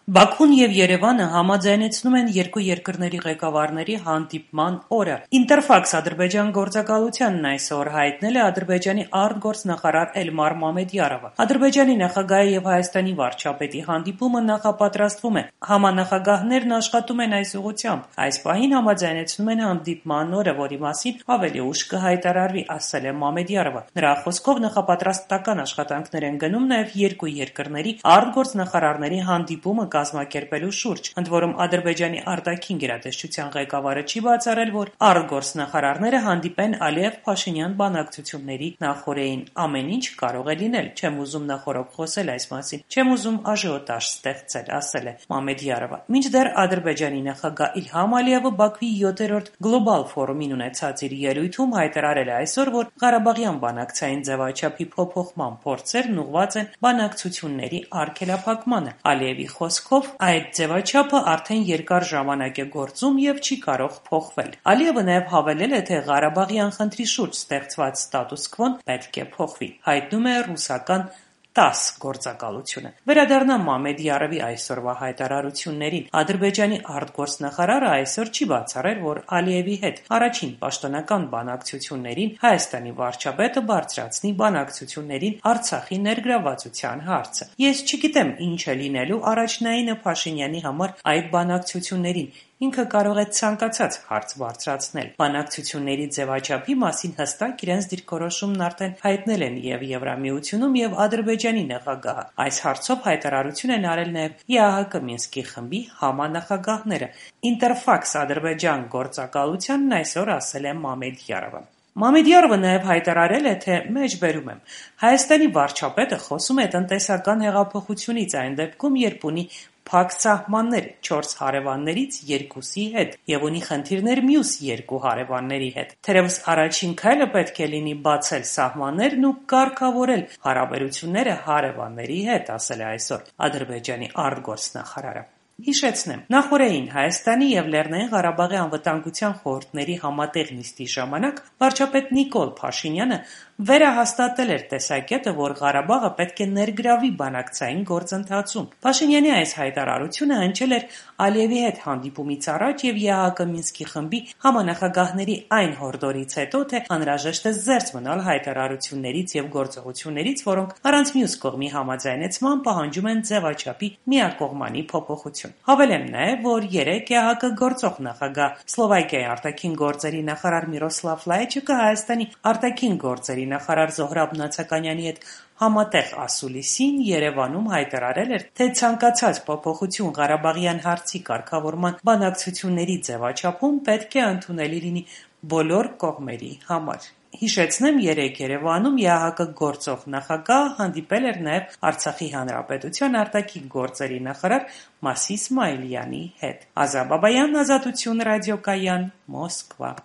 Բաքուն եւ Երևանը համաձայնեցնում են երկու երկրների ղեկավարների հանդիպման օրը։ Ինտերֆաքս Ադրբեջան գործակալությանն այսօր հայտնել է Ադրբեջանի արտգործնախարար Էլմար Մամեդյարովը։ Ադրբեջանի նախագահի եւ Հայաստանի վարչապետի հանդիպումը նախապատրաստվում է։ Համանախագահներն աշխատում են այս ուղղությամբ։ Այս պահին համաձայնեցնում են հանդիպման օրը, որի մասին ավելի ուշ կհայտարարվի, ասել է Մամեդյարովը։ Նրա խոսքով նախապատրաստական աշխատանքներ են գնում նաեւ երկու երկրների արտգործնախարարների հանդիպումը կազմակերպելու շուրջ, ընդ որում Ադրբեջանի արտաքին գերատեսչության ղեկավարը չի բացառել, որ արտգործնախարարները հանդիպեն Ալիև-Փաշինյան բանակցությունների նախօրեին։ Ամեն ինչ կարող է լինել, չեմ ուզում նախօրոք խոսել այս մասին, չեմ ուզում աժիոտաժ ստեղծել, ասել է Մամեդյարովը։ Մինչդեռ Ադրբեջանի նախագահ Իլհամ Ալիևը Բաքվի 7-րդ գլոբալ ֆորումին ունեցած իր ելույթում հայտարարել է այսօր, որ Ղարաբաղյան բանակցային ձևաչափի փոփոխման փորձերն ուղղված են բանակցությունների արգելափակմանը։ Ալիևի խոսքով այդ ձևաչափը արդեն երկար ժամանակ է գործում եւ չի կարող փոխվել։ Ալիևը նաեւ հավելել է, թե Ղարաբաղյան խնդրի շուրջ ստեղծված ստատուս քվոն պետք է փոխվի, հայտնում է ռուսական ՏԱՍՍ գործակալությունը։ Վերադառնամ Մամեդյարովի այսօրվա հայտարարություններին։ Ադրբեջանի արտգործնախարարը այսօր չի բացառել, որ Ալիևի հետ առաջին պաշտոնական բանակցություններին Հայաստանի վարչապետը բարձրացնի բանակցություններին Արցախի ներգրավվածության հարցը։ Ես չգիտեմ ինչ է լինելու առաջնայինը Փաշինյանի համար այդ բանակցություններին։ Ինքը կարող է ցանկացած հարց բարձրացնել։ Բանակցությունների ձևաչափի մասին հստակ իրենց դիրքորոշումն արդեն հայտնել են եւ Եվրամիությունում եւ Ադրբեջանի նախագահը։ Այս հարցով հայտարարություն են արել նաեւ ԵԱՀԿ Մինսկի խմբի համանախագահները։ Ինտերֆաքս Ադրբեջան գործակալությանն այսօր ասել է Մամեդյարովը։ Մամեդյարովը նաև հայտարարել է, թե մեջբերում եմ. Հայաստանի վարչապետը խոսում է տնտեսական հեղափոխությունից այն դեպքում, երբ ունի փակ սահմաններ 4 հարևաններից 2-ի հետ եւ ունի խնդիրներ մյուս 2 հարևանների հետ։ Թերևս առաջին քայլը պետք է լինի բացել սահմաններն ու կարգավորել հարաբերությունները հարևանների հետ, ասել է այսօր Ադրբեջանի արտգործնախարարը։ Հիշեցնեմ, նախօրեին Հայաստանի եւ Լեռնային Ղարաբաղի անվտանգության խորհուրդների համատեղ նիստի ժամանակ վարչապետ Նիկոլ Փաշինյանը վերահաստատել էր տեսակետը, որ Ղարաբաղը պետք է ներգրավի բանակցային գործընթացում։ Փաշինյանի այս հայտարարությունը հնչել էր Ալիևի հետ հանդիպումից առաջ եւ ԵԱՀԿ Մինսկի խմբի համանախագահների այն հորդորից հետո, թե անհրաժեշտ է զերծ մնալ հայտարարություններից եւ գործողություններից, որոնք առանց մյուս կողմի համաձայնեցման պահանջում են ձևաչափի միակողմանի փոփոխություն։ Հավելեմ նաեւ, որ 3 ԵԱՀԿ գործող նախագահ Սլովակիայի արտաքին գործերի նախարար Միրոսլավ Լայչիկը Հայաստանի արտաքին գործերի նախարար Զոհրաբ Նացականյանի հետ համատեղ ասուլիսին Երևանում հայտարարել էր, թե ցանկացած փոփոխություն Ղարաբաղյան հարցի կարգավորման բանակցությունների ձևաչափում պետք է ընդունելի լինի բոլոր կողմերի համար։ Հիշեցնեմ, 3 Երևանում ԵԱՀԿ գործող նախագահ հանդիպել էր նաև Արցախի հանրապետության արտաքին գործերի նախարար Մասի Իսմայիլյանի հետ։ Ազա Բաբայան, Ազատություն ռադիոկայան, Մոսկվա։